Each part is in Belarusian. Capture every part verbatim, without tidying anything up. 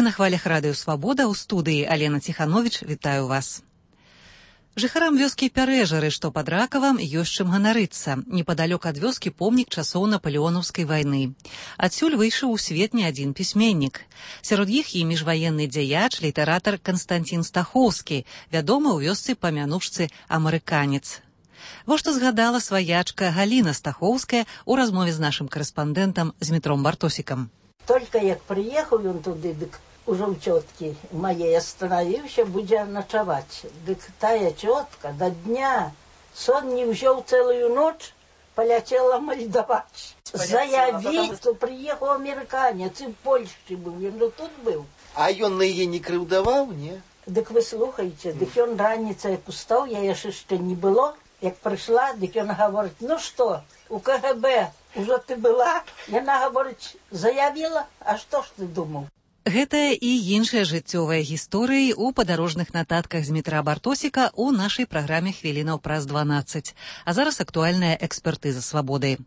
Вы на хвалях радыё Свабода, у студыі Алена Ціхановіч, вітаю вас. Жыхарам вёскі Пярэжары, што пад Ракавам, ёсць чым ганарыцца. Непадалёк ад вёскі помнік часоў Напалеонаўскай вайны. Адсюль выйшаў у свет не адзін пісьменнік. Сярод іх і міжваенны дзяяч, літаратар Канстантін Стахоўскі, вядомы ў вёсцы па мянушцы «Амерыканец». Во што згадала сваячка Галіна Стахоўская у размове з нашым карэспандэнтам Змітром Бартосікам. Только як приехал он туды, дык уже у тетки моей остановился, будя ночевать. Дык тая тетка до дня сон не взял целую ночь, полетела мальдовать. Заявить, что приехал американец, и в Польше был, он тут был. А он на ее не крыўдаваў, не? Дык вы слухайте, дык он раніцай пустаў, я яшчэ не было. Як пришла, дык он говорит, ну что, у КГБ уже ты была? Яна говорит, заявила, а что ж ты думал? Гэтая і іншыя жыццёвыя гісторыі ў падарожных нататках Змітра Бартосіка ў нашай праграме «Хвілінаў праз дванаццаць». А зараз актуальная экспертыза «Свабоды».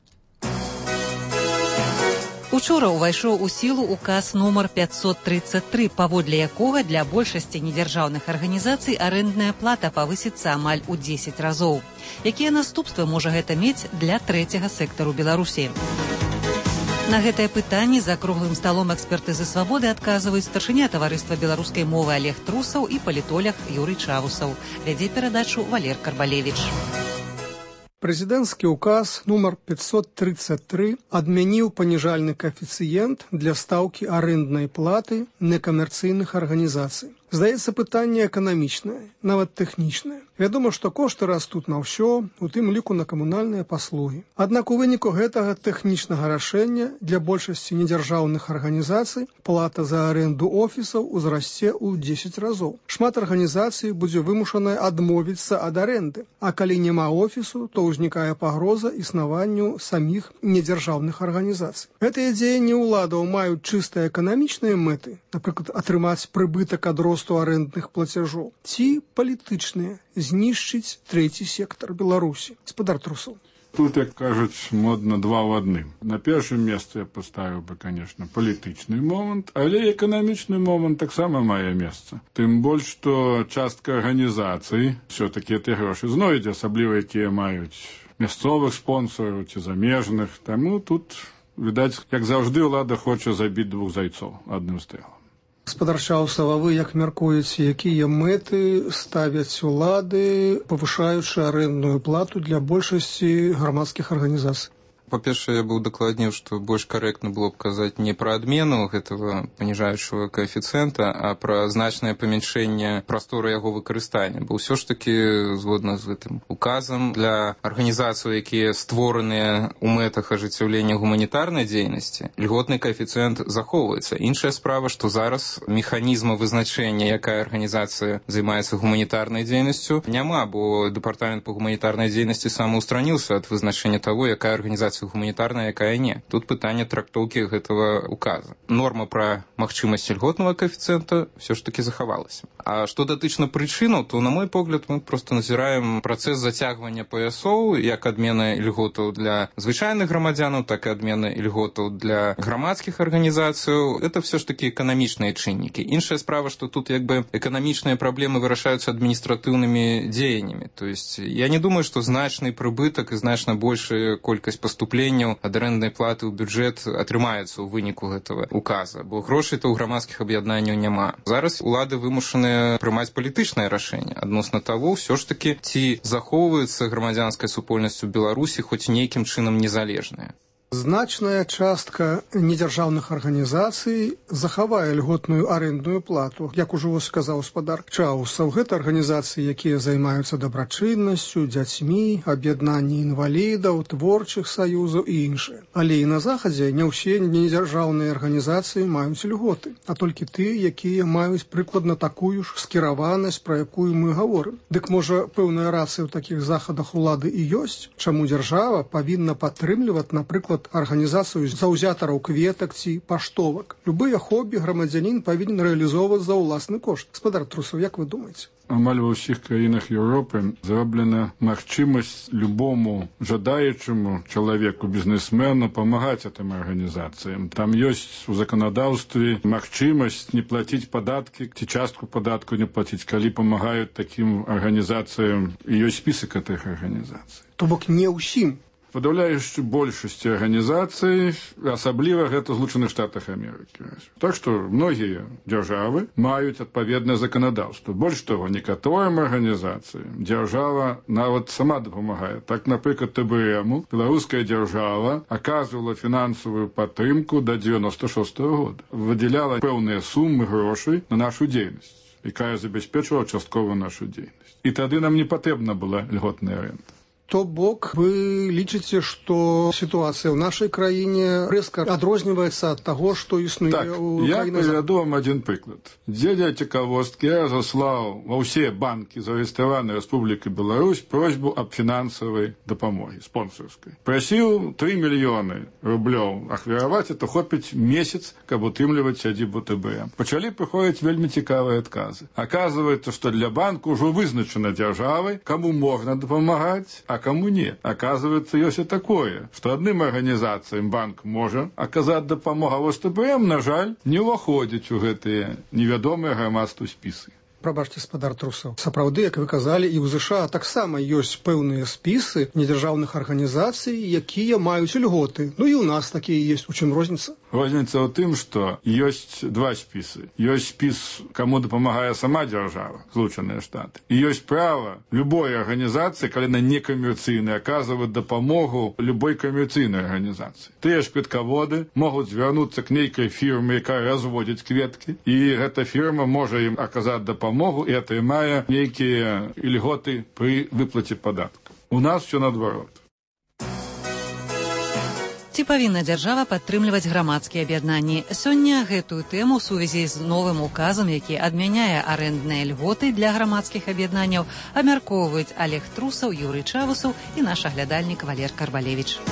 Учора ўвайшоў у сілу указ нумар пятьсот тридцать три, паводле якога для большасці недзяржаўных арганізацый арэндная плата павысіцца амаль у дзесяць разоў. Якія наступствы можа гэта мець для трэцяга сектару Беларусі? На гэтае пытанне за круглым сталом экспертызы «Свабоды» адказваюць старшыня таварыства беларускай мовы Олег Трусаў і палітолог Юрый Чавусаў. Вядзе перадачу Валер Карбалевич. Прэзідэнцкі ўказ нумар пятьсот тридцать три адмяніў паніжальны каэфіцыент для стаўкі арэнднай платы некамерцыйных арганізацый. Здаецца, пытанне эканамічнае, нават тэхнічнае. Вядома, што кошты растуць на ўсё, у тым ліку на камунальныя паслугі. Аднак у выніку гэтага тэхнічнага рашэння для большасці недзяржаўных арганізацый плата за арэнду офісаў узрасце ў дзесяць разоў. Шмат арганізацый будзе вымушанае адмовіцца ад арэнды, а калі няма офісу, то ўзнікае пагроза існаванню саміх недзяржаўных арганізацый. Гэтыя дзеянні ўладаў маюць чыста эканамічныя мэты, напрыклад, атрымаць прыбытак ад росту арэндных плацяжоў, ці палітычныя, знішчыць трэці сектар Беларусі. Гаспадар Трусаў. Тут, як кажуць, модна два ў адным. На першым месцы я паставіў бы, конечно, палітычны момант, але эканамічны момант таксама мае месца. Тым больш, што частка арганізацый все-таки тыя грошы знойдзе, асабліва якія маюць мясцовых спонсораў ці замежных. Таму тут, відаць, як заўжды, ўлада хоча забіць двух зайцоў адным стрэлам. Гаспадар Чаўсаў, а вы як мяркуеце, якія мэты ставяць улады, павышаючы арэндную плату для большасці грамадскіх арганізацый? По-першае, я бы удакладніў, што больш карэктна было б казаць не пра адмену гэтага паніжаючага каэфіцыента, а пра значнае памяншэнне прасторы яго выкарыстання. Бо ўсё ж такі, згодна з гэтым указам, для арганізацый, якія створаныя ў мэтах ажыццяўлення гуманітарнай дзейнасці, льготны каэфіцыент захоўваецца. Іншая справа, што зараз механізма вызначэння, якая арганізацыя займаецца гуманітарнай дзейнасцю, няма, бо дэпартамент па гуманітарнай дзейнасці самаўстраніўся ад вызначэння таго, якая арганізацыя гуманітарная, якая не. Тут пытанне трактоўкі гэтага указа. Норма пра магчымасць льготнага каэфіцыента все ж таки захавалася. А што датычна прычынаў, то, на мой погляд, мы просто назіраем працэс зацягвання паясоў, як адмена льготаў для звычайных грамадзянаў, так і адмена льготаў для грамадскіх арганізацыяў. Это все ж таки эканамічныя чыннікі. Іншая справа, што тут як бы эканамічныя праблемы вырашаюцца адміністратыўнымі дзеяннямі. То есть я не думаю, што значны прыбытак і значна большая колькасць паступленняў ад арэнднай платы ў бюджэт атрымаецца ў выніку гэтага указа, бо грошай-то ў грамадскіх аб'яднанняў няма. Зараз улады вымушаныя прымаць палітычнае рашэнне адносна таго, ўсё ж такі, ці захоўваецца грамадзянская супольнасць у Беларусі хоць нейкім чынам незалежная. Значная частка недзяржаўных арганізацый захавае льготную арэндную плату. Як ужо сказаў гаспадар Чаўсаў, гэта арганізацыі, якія займаюцца дабрачыннасцю, дзяцьмі, аб'яднанні інвалідаў, творчых саюзаў і іншыя. Але і на захадзе не ўсе недзяржаўныя арганізацыі маюць льготы, а толькі тыя, якія маюць прыкладна такую ж скіраванасць, пра якую мы гаворым. Дык можа, пэўная рацыя ў такіх захадах улады і ёсць, чаму дзяржава павінна падтрымліваць, напрыклад, напрыклад, арганізацыю заўзятараў кветак ці паштовак. Любыя хобі грамадзянін павінен рэалізоўваць за ўласны кошт. Гаспадар Трусаў, як вы думаеце? Амаль ва ўсіх краінах Еўропы зроблена магчымасць любому жадаючаму чалавеку, бізнесмену памагаць гэтым арганізацыям. Там ёсць у заканадаўстве магчымасць не плаціць падаткі ці частку падатку не плаціць, калі памагаюць такім арганізацыям, і ёсць спісак гэтых арганізацый. То бок не ўсім. Падаўляючай большасці арганізацый, асабліва гэта ў Злучаных Штатах Амерыкі. Так што многія дзяржавы маюць адпаведнае заканадаўства. Больш таго, некаторым арганізацыям дзяржава нават сама дапамагае. Так, напрыклад, тэ бэ эму беларуская дзяржава аказвала фінансавую падтрымку да дзевяноста шостага года. Выдзяляла пэўныя сумы грошай на нашу дзейнасць, якая забяспечвала часткова нашу дзейнасць. І тады нам не патрэбна была льготная рэнта. То бок вы лічыце, што сітуацыя ў нашай краіне рэзка адрозніваецца ад таго, што існуе так, ў я краінах. прывяду вам адзін прыклад. Дзеля цікавосткі я заслаў ва ўсе банкі зарэгістраванай Рэспублікі Беларусь просьбу аб фінансавай дапамогі спонсарскай. Прасіў тры мільёны рублёў ахвяраваць, это хопіць месяц, каб утрымліваць сядзібу тэ бэ эм. Пачалі прыходзіць вельмі цікавыя адказы. Аказваецца, што для банку ўжо вызначана дзяржавай, каму можна дапамагаць, а кому не. Оказывается, ёсць і такое, што адным арганізацыям банк можа аказаць дапамогу, а вось тэ бэ эм, на жаль, не ўваходзіць у гэтыя невядомыя грамадству спісы. Прабачце, гаспадар Трусаў. Сапраўды, як вы казалі, і ў ЗША таксама ёсць пэўныя спісы недзяржаўных арганізацый, якія маюць льготы. Ну і ў нас такія ёсць. У чым розніца? Розніца ў тым, што ёсць два спісы. Ёсць спіс, каму дапамагае сама дзяржава, Злучаныя Штаты. І ёсць права любой арганізацыі, калі на некамерцыйнай, аказваць дапамогу любой камерцыйнай арганізацыі. Тыя ж кветкаводы могуць звярнуцца к нейкай фірме, якая разводзіць кветкі, і гэта фірма можа ім аказаць дапамогу і атрымае нейкія льготы пры выплаце падатку. У нас все наадварот. Ці павінна дзяржава падтрымліваць грамадскія аб'яднанні? Сёння гэтую тэму ў сувязі з новым указам, які адмяняе арэндныя льготы для грамадскіх аб'яднанняў, абмяркоўваюць Олег Трусаў, Юрый Чавусаў і наш аглядальнік Валер Карбалевіч.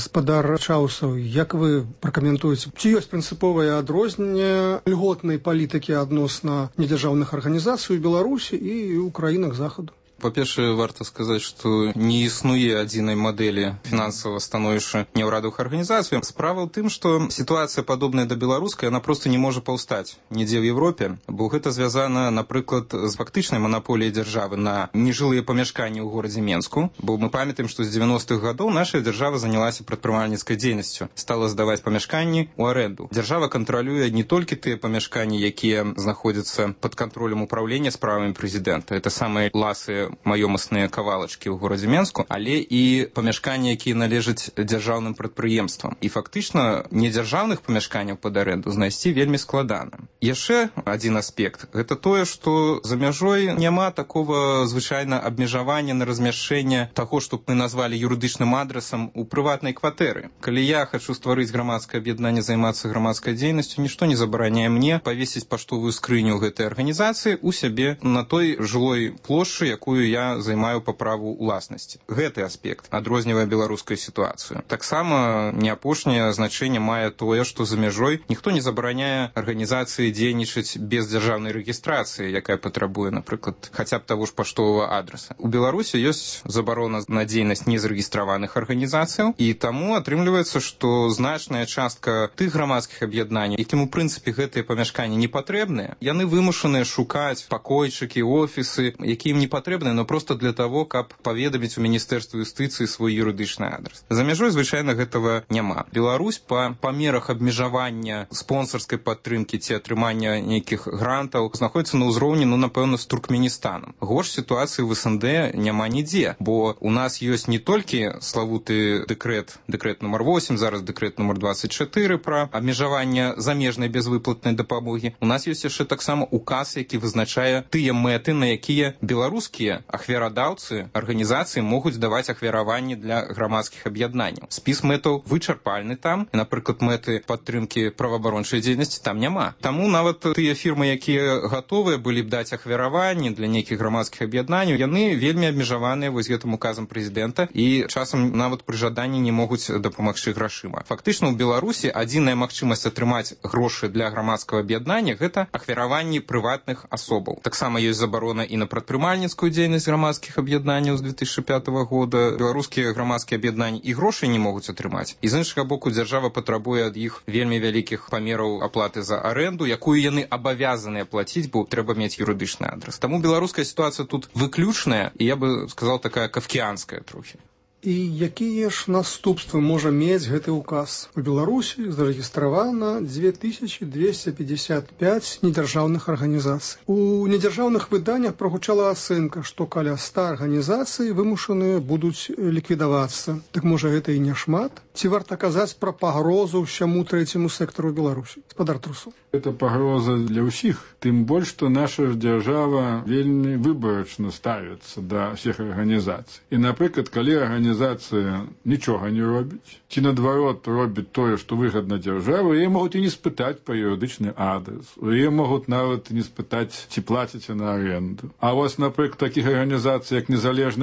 Гаспадар Чаусаў, як вы пракаментуеце, ці ёсць прынцыповае адрозненне льготнай палітыкі адносна недзяржаўных арганізацый у Беларусі і ў краінах Захаду? Па-першае, варта сказаць, што не існуе адзінай мадэлі фінансавага становішча няўрадавых арганізацый. Справа ў тым, што сітуацыя падобная да беларускай, яна проста не можа паўстаць нідзе ў Европе, бо гэта звязана, напрыклад, з фактычнай манаполіяй дзяржавы на нежылыя памяшканні ў горадзе Менску, бо мы памятаем, што з дзевяностых гадоў наша дзяржава занялася прадпрымальніцкай дзейнасцю, стала здаваць памяшканні ў арэнду. Дзяржава кантралюе не толькі тыя памяшканні, якія знаходзяцца пад кантролем управлення справамі прэзідэнта, это самыя ласы маёмасныя кавалачкі ў горадзе Менску, але і памяшканні, якія належаць дзяржаўным прадпрыемствам. І фактычна недзяржаўных памяшканняў пад арэнду знайсці вельмі складана. Яшчэ адзін аспект, гэта тое, што за мяжой няма такого звычайна абмежавання на размяшчэнне таго, што мы назвалі юрыдычным адрасам у прыватнай кватэры. Калі я хачу стварыць грамадскае аб'яднанне, займацца грамадскай дзейнасцю, нішто не забараняе мне павесіць паштовую скрыню гэтай арганізацыі ў сябе на той жылой плошчы, якую я займаю па праву ўласнасці. Гэты аспект адрознівае беларускую сітуацыю. Таксама не апошняе значэнне мае тое, што за мяжой ніхто не забараняе арганізацыі дзейнічаць без дзяржаўнай рэгістрацыі, якая патрабуе, напрыклад, хаця б таго ж паштовага адраса. У Беларусі ёсць забарона на дзейнасць незарэгістраваных арганізацыяў, і таму атрымліваецца, што значная частка тых грамадскіх аб'яднанняў, якім у прынцыпе гэтыя памяшканні не патрэбныя, яны вымушаныя шукаць пакойчыкі, офісы, якія ім не патрэбныя, но просто для того, каб паведаміць у Міністэрства юстыцыі свой юрыдычны адрас. За мяжой звычайна гэтага няма. Беларусь па памерах абмежавання спонсарскай падтрымкі ці атрымання нейкіх грантаў знаходіцца на ўзроўні, ну, напэўна, з Туркменістанам. Горш сітуацыі в СНД няма нідзе, бо у нас ёсць не толькі славуты дэкрэт, дэкрэт нумар восемь, зараз дэкрэт нумар двадцать чатыры пра абмежаванне замежнай безвыплатнай дапамогі. У нас ёсць яшчэ таксама указ, які вызначае тыя мэты, на якія беларускія але ахвярадаўцы арганізацыі могуць даваць ахвяраванні для грамадскіх аб'яднанняў. Спіс мэтаў вычарпальны там, і, напрыклад, мэты падтрымкі праваабарончай дзейнасці там няма. Таму нават тыя фірмы, якія гатовыя былі б даць ахвяраванні для нейкіх грамадскіх аб'яднанняў, яны вельмі абмежаваныя вось гэтым указам прэзідэнта і часам нават пры жаданні не могуць дапамагчы грашыма. Фактычна, у Беларусі адзіная магчымасць атрымаць грошы для грамадскага аб'яднання – гэта ахвяраванні прыватных асобаў. Таксама ёсць забарона і на прадпрымальніцкую дзейнасць грамадскіх аб'яднанняў з две тысячы пятага года. Беларускія грамадскія аб'яднанні і грошай не могуць атрымаць. І з іншага боку, дзяржава патрабуе ад іх вельмі вялікіх памераў аплаты за аренду, якую яны абавязаныя плаціць, бо трэба мець юрыдычны адрас. Таму беларуская сітуацыя тут выключная, і я бы сказал, такая кафкіанская трохі. І якія ж наступствы можа мець гэты ўказ? У Беларусі зарэгістравана дзве тысячы двести пятьдесят пять недзяржаўных арганізацый. У недзяржаўных выданнях прагучала ацэнка, што каля ста арганізацый вымушаныя будуць ліквідавацца. Так можа гэта і не шмат? Ці варта казаць пра пагрозу ўсяму трэцяму сектару Беларусі? Спадар Трусоў. Это пагроза для ўсіх. Тым больш, што наша дзяржава вельмі выбарачна ставіцца да ўсіх арганізацый. І, напрыклад, калі арганізацыя нічога не робіць, ці наадварот робіць тое, што выгадна дзяржаве, яе могуць і не спытаць па юрыдычны адрас. Яе могуць нават і не спытаць, ці плаціце на аренду. А вось, напрыклад, такіх арганізацый, як незалежны